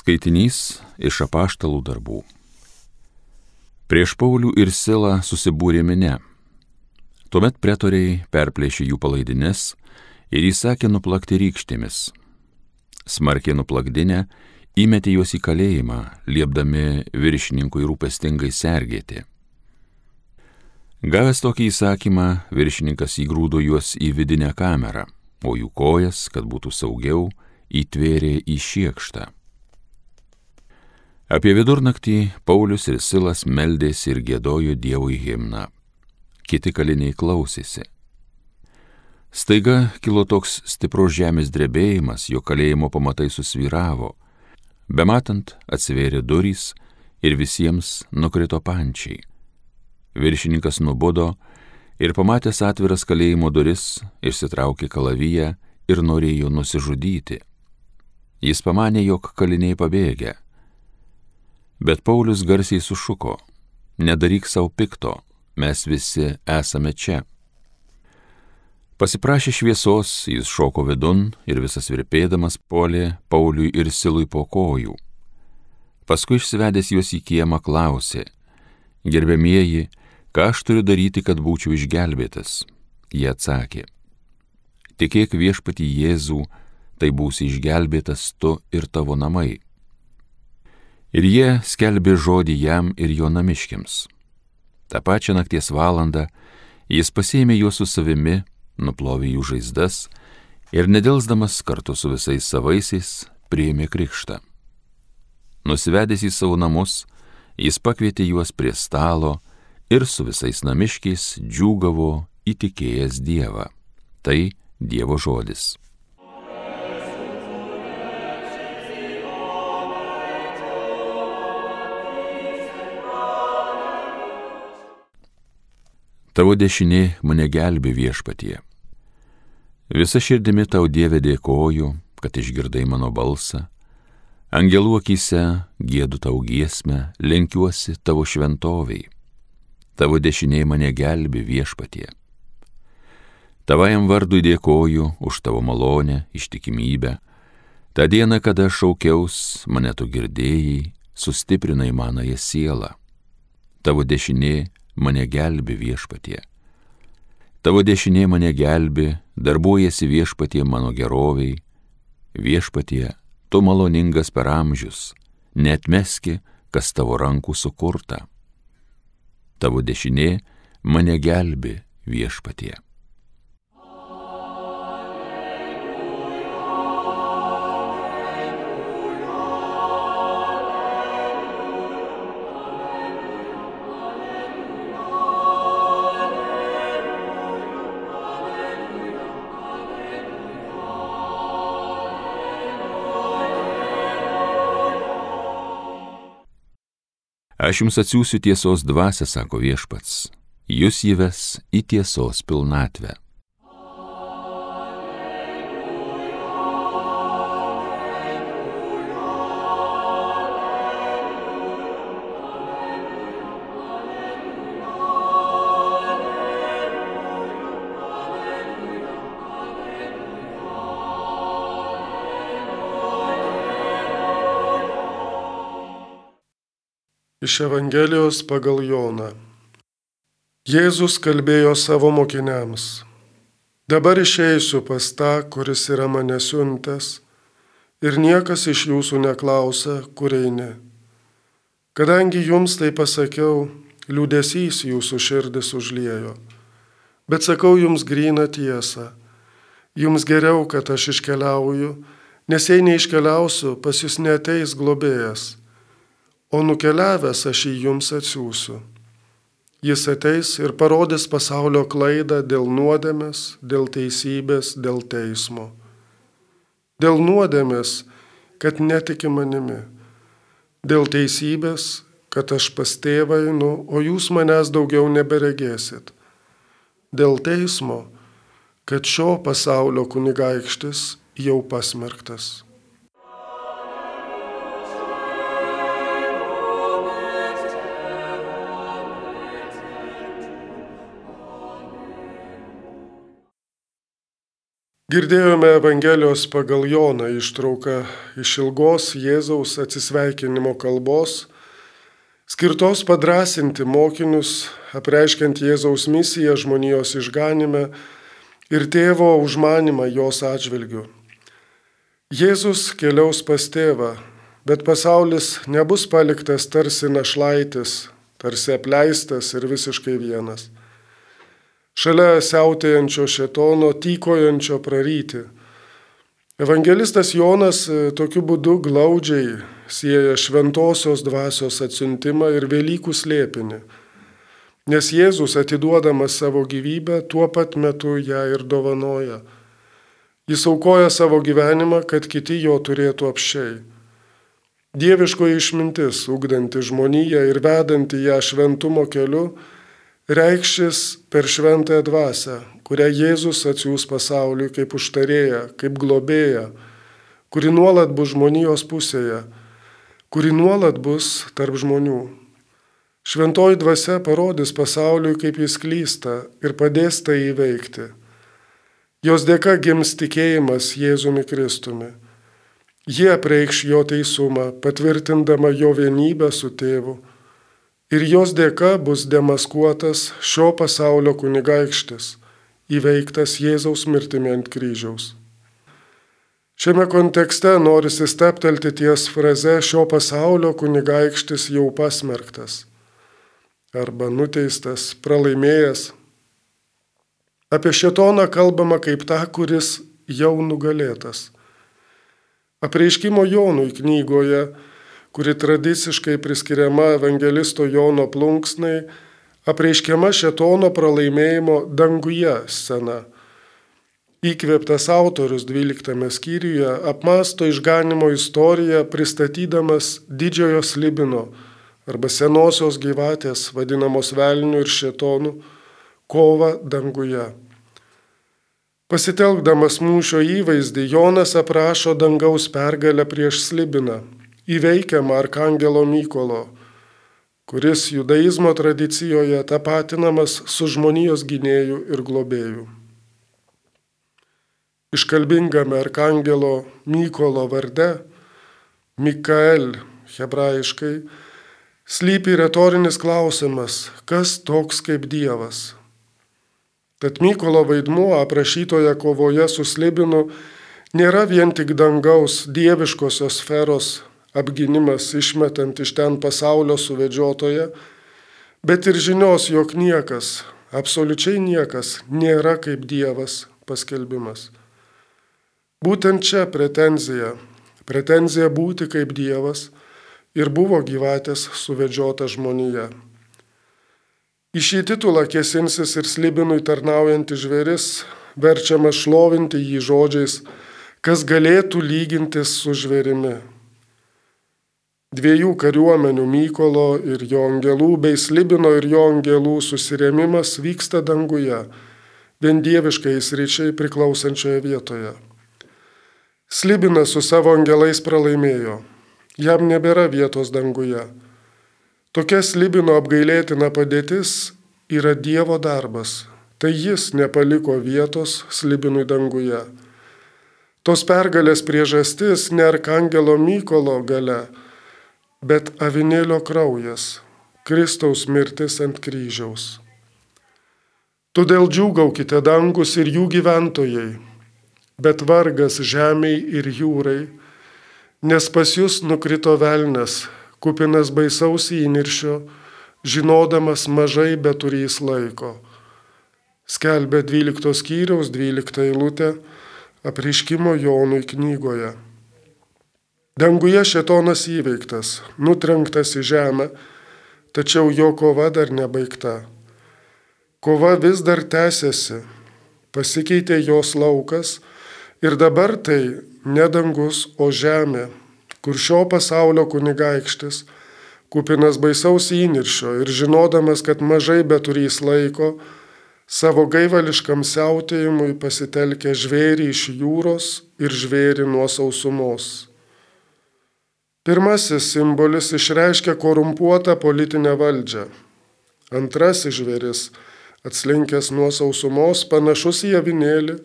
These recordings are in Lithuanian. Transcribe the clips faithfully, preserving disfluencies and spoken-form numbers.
Skaitinys iš Apaštalų darbų. Prieš Paulių ir Silą susibūrė minia. Tuomet pretoriai perplėšė jų palaidines ir įsakė nuplakti rykštėmis. Smarkiai nuplakdinę įmetė juos į kalėjimą, liepdami viršininkui rūpestingai sergėti. Gavęs tokį įsakymą, viršininkas įgrūdo juos į vidinę kamerą, o jų kojas, kad būtų saugiau, įtvėrė į šiekštą. Apie vidurnaktį Paulius ir Silas meldėsi ir giedojo Dievui himną. Kiti kaliniai klausėsi. Staiga kilo toks stiprus žemės drebėjimas, jo kalėjimo pamatai susvyravo. Bematant atsivėrė durys ir visiems nukrito pančiai. Viršininkas nubudo ir pamatęs atviras kalėjimo duris, išsitraukė kalaviją ir norėjo nusižudyti. Jis pamanė, jog kaliniai pabėgę. Bet Paulius garsiai sušuko: nedaryk savo pikto, mes visi esame čia. Pasiprašė šviesos, jis šoko vidun ir visas virpėdamas puolė Pauliui ir Silui po kojų. Paskui išsivedęs juos į kiemą klausė: gerbiamieji, ką aš turiu daryti, kad būčiau išgelbėtas? Jie atsakė: tikėk viešpatį Jėzų, tai būsi išgelbėtas tu ir tavo namai. Ir jie skelbė žodį jam ir jo namiškiams. Ta pačia nakties valandą jis pasiėmė juos su savimi, nuplovė jų žaizdas ir nedelsdamas kartu su visais savaisiais priėmė krikštą. Nusivedęs į savo namus, jis pakvietė juos prie stalo ir su visais namiškiais džiūgavo įtikėjęs Dievą. Tai Dievo žodis. Tavo dešinė mane gelbė viešpatie. Visa širdimi tau, Dieve, dėkoju, kad išgirdai mano balsą. Angelų akyse giedu tau giesmę, lenkiuosi tavo šventoviai. Tavo dešinė mane gelbė viešpatie. Tavajam vardui dėkoju už tavo malonę, ištikimybę. Ta diena, kada šaukiaus, mane tu girdėjai, sustiprinai manąją sielą. Tavo dešinė mane gelbė viešpatie. Tavo dešinė mane gelbė, darbuojasi viešpatie mano geroviai. Viešpatie, tu maloningas per amžius, neatmeski, kas tavo rankų sukurta. Tavo dešinė mane gelbė viešpatie. Aš jums atsiųsiu tiesos dvasią, sako viešpats, jūs įves į tiesos pilnatvę. Iš Evangelijos pagal Joną. Jėzus kalbėjo savo mokiniams: dabar išeisiu pas tą, kuris yra mane siuntęs, ir niekas iš jūsų neklausia, kur eini. Kadangi jums tai pasakiau, liūdesys jūsų širdis užliejo. Bet sakau jums gryną tiesą. Jums geriau, kad aš iškeliauju, nes jei neiškeliausiu, pas jūs neateis globėjas. O nukeliavęs aš jį jums atsiųsiu. Jis ateis ir parodys pasaulio klaidą dėl nuodėmės, dėl teisybės, dėl teismo. Dėl nuodėmės, kad netiki manimi. Dėl teisybės, kad aš pas tėvą einu, o jūs manęs daugiau neberegėsit. Dėl teismo, kad šio pasaulio kunigaikštis jau pasmerktas. Girdėjome Evangelijos pagal Joną ištrauką iš ilgos Jėzaus atsisveikinimo kalbos, skirtos padrasinti mokinius, apreiškiant Jėzaus misiją žmonijos išganime ir tėvo užmanimą jos atžvilgiu. Jėzus keliaus pas tėvą, bet pasaulis nebus paliktas tarsi našlaitis, tarsi apleistas ir visiškai vienas. Šalia siautėjančio šėtono, tykojančio praryti. Evangelistas Jonas tokiu būdu glaudžiai sieja šventosios dvasios atsiuntimą ir Velykų slėpinį, nes Jėzus atiduodamas savo gyvybę tuo pat metu ją ir dovanoja. Jis aukoja savo gyvenimą, kad kiti jo turėtų apsčiai. Dieviškoji išmintis, ugdanti žmoniją ir vedanti ją šventumo keliu, reikšis per šventąją dvasią, kurią Jėzus atsiųs pasauliui kaip užtarėja, kaip globėja, kuri nuolat bus žmonijos pusėje, kuri nuolat bus tarp žmonių. Šventoji dvasia parodys pasauliui, kaip jis klysta ir padės tai įveikti. Jos dėka gims tikėjimas Jėzumi Kristumi. Jie apreikš jo teisumą, patvirtindama jo vienybę su tėvu. Ir jos dėka bus demaskuotas šio pasaulio kunigaikštis, įveiktas Jėzaus mirtimi ant kryžiaus. Šiame kontekste norisi steptelti ties fraze šio pasaulio kunigaikštis jau pasmerktas arba nuteistas, pralaimėjęs. Apie šėtoną kalbama kaip tą, kuris jau nugalėtas. Apreiškimo Jonui knygoje, kuri tradiciškai priskiriama evangelisto Jono plunksnai, apreiškiama šėtono pralaimėjimo danguje scena. Įkvėptas autorius dvyliktame skyriuje apmąsto išganimo istoriją, pristatydamas didžiojo slibino arba senosios gyvatės, vadinamos velniu ir šėtonu, kovą danguje. Pasitelkdamas mūšio įvaizdį, Jonas aprašo dangaus pergalę prieš slibiną, įveikiamą arkangelo Mykolo, kuris judaizmo tradicijoje tapatinamas su žmonijos gynėju ir globėju. Iškalbingame arkangelo Mykolo varde, Mikael hebrajiškai, slypi retorinis klausimas, kas toks kaip Dievas. Tad Mykolo vaidmuo aprašytoje kovoje su slibinu nėra vien tik dangaus dieviškosios sferos apgynimas išmetant iš ten pasaulio suvedžiotoje, bet ir žinios, jog niekas, absoliučiai niekas, nėra kaip Dievas paskelbimas. Būtent čia pretenzija, pretenzija būti kaip Dievas ir buvo gyvatės suvedžiota žmonija. Į šį titulą kėsinsis ir slibinui tarnaujantis žvėris, verčiamas šlovinti jį žodžiais, kas galėtų lygintis su žvėrimi. Dviejų kariuomenių Mykolo ir jo angelų bei slibino ir jo angelų susirėmimas vyksta danguje, vien dieviškai sričiai priklausančioje vietoje. Slibinas su savo angelais pralaimėjo, jam nebėra vietos danguje. Tokia slibino apgailėtina padėtis yra Dievo darbas, tai jis nepaliko vietos slibinui danguje. Tos pergalės priežastis ne arkangelo Mykolo galia, bet avinėlio kraujas, Kristaus mirtis ant kryžiaus. Todėl džiūgaukite dangus ir jų gyventojai, bet vargas žemei ir jūrai, nes pas jūs nukrito velnias, kupinas baisaus įniršio, žinodamas mažai beturys laiko. Skelbia dvyliktos skyriaus dvyliktą eilutę apreiškimo Jonui knygoje. Danguje šėtonas įveiktas, nutrenktas į žemę, tačiau jo kova dar nebaigta. Kova vis dar tęsiasi, pasikeitė jos laukas ir dabar tai ne dangus, o žemė, kur šio pasaulio kunigaikštis, kupinas baisaus įniršio ir žinodamas, kad mažai beturys laiko, savo gaivališkam siautėjimui pasitelkė žvėrį iš jūros ir žvėrį nuo sausumos. Pirmasis simbolis išreiškia korumpuotą politinę valdžią. Antrasis žvėris, atslinkęs nuo sausumos, panašus į avinėlį,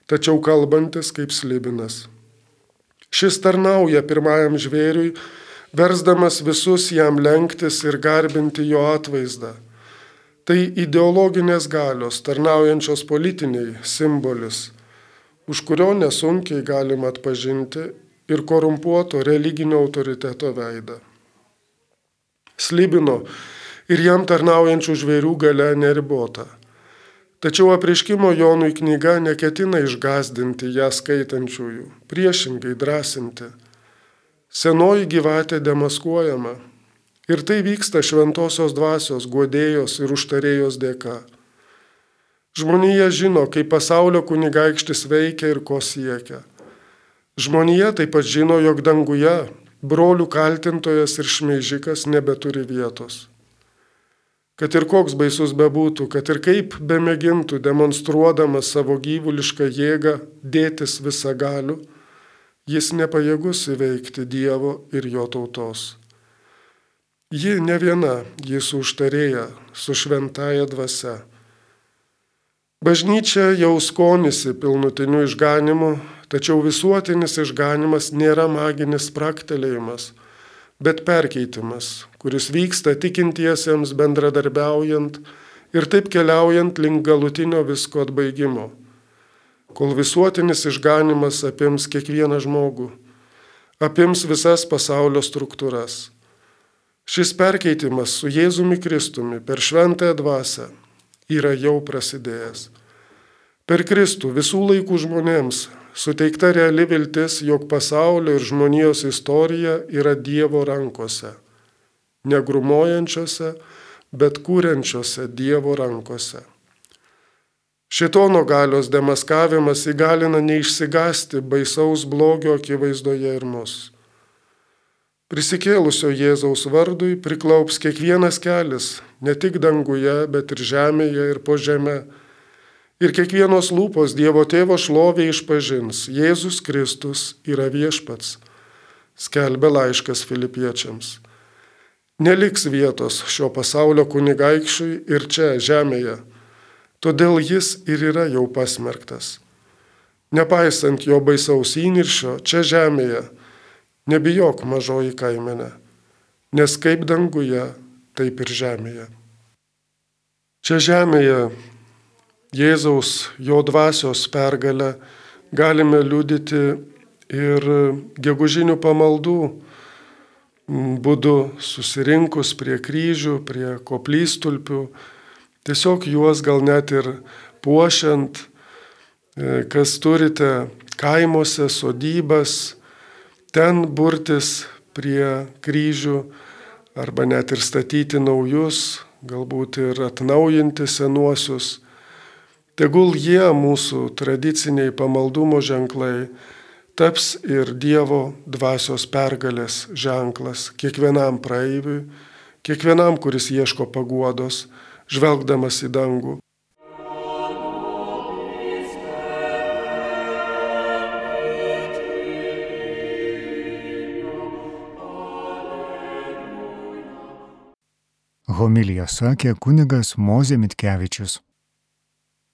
tačiau kalbantis kaip slibinas. Šis tarnauja pirmajam žvėriui, versdamas visus jam lenktis ir garbinti jo atvaizdą. Tai ideologinės galios, tarnaujančios politiniai simbolis, už kurio nesunkiai galima atpažinti ir korumpuoto religinio autoriteto veidą. Slibino ir jam tarnaujančių žvėrių galia neribota. Tačiau apreiškimo Jonui knyga neketina išgąsdinti ją skaitančiųjų, priešingai drąsinti. Senoji gyvatė demaskuojama ir tai vyksta šventosios dvasios, guodėjos ir užtarėjos dėka. Žmonija žino, kaip pasaulio kunigaikštis veikia ir ko siekia. Žmonija taip pat žino, jog danguje brolių kaltintojas ir šmeižikas nebeturi vietos. Kad ir koks baisus bebūtų, kad ir kaip bemėgintų demonstruodamas savo gyvulišką jėgą dėtis visagaliu, jis nepajėgus įveikti Dievo ir jo tautos. Ji ne viena, ji su užtarėja, su šventaja dvasia. Bažnyčia jau skonisi pilnutiniu išganimu, tačiau visuotinis išganimas nėra maginis spraktelėjimas, bet perkeitimas, kuris vyksta tikintiesiems bendradarbiaujant ir taip keliaujant link galutinio visko atbaigimo, kol visuotinis išganimas apims kiekvieną žmogų, apims visas pasaulio struktūras. Šis perkeitimas su Jėzumi Kristumi per šventąją dvasią yra jau prasidėjęs. Per Kristų visų laikų žmonėms suteikta reali viltis, jog pasaulio ir žmonijos istorija yra Dievo rankose, negrumojančiose, bet kūrenčiose Dievo rankose. Šėtono galios demaskavimas įgalina neišsigąsti baisaus blogio akivaizdoje ir mus. Prisikėlusio Jėzaus vardui priklaups kiekvienas kelis, ne tik danguje, bet ir žemėje ir po žeme. Ir kiekvienos lūpos Dievo Tėvo šlovė išpažins, Jėzus Kristus yra viešpats, skelbia laiškas Filipiečiams. Neliks vietos šio pasaulio kunigaikščiui ir čia, žemėje, todėl jis ir yra jau pasmerktas. Nepaisant jo baisaus įniršio, čia žemėje, nebijok mažoji kaimenė, nes kaip danguje, taip ir žemėje. Čia žemėje Jėzaus, jo dvasios pergalę galime liudyti ir gegužinių pamaldų būdu susirinkus prie kryžių, prie koplytstulpių, tiesiog juos gal net ir puošiant, kas turite kaimuose, sodybas, ten burtis prie kryžių arba net ir statyti naujus, galbūt ir atnaujinti senuosius. Tegul jie, mūsų tradiciniai pamaldumo ženklai, taps ir Dievo dvasios pergalės ženklas kiekvienam praeiviui, kiekvienam, kuris ieško paguodos, žvelgdamas į dangų. Homiliją sakė kunigas Mozė Mitkevičius.